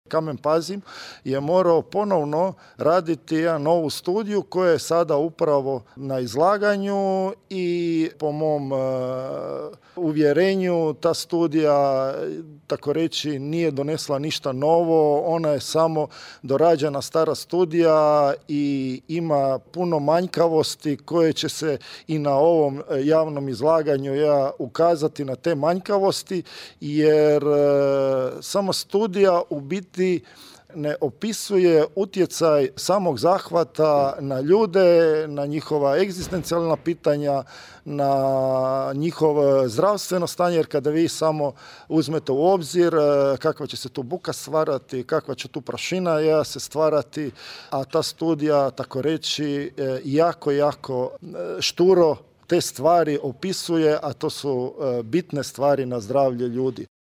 Kamen Pazin je morao ponovno raditi jednu novu studiju koja je sada upravo na izlaganju i po mom uvjerenju ta studija, tako reći, nije donesla ništa novo, ona je samo dorađena stara studija i ima puno manjkavosti koje će se i na ovom javnom izlaganju ukazati na te manjkavosti, jer samo studija u biti ne opisuje utjecaj samog zahvata na ljude, na njihova egzistencijalna pitanja, na njihovo zdravstveno stanje, jer kada vi samo uzmete u obzir kakva će se tu buka stvarati, kakva će tu prašina se stvarati, a ta studija, tako reći, jako šturo te stvari opisuje, a to su bitne stvari na zdravlje ljudi.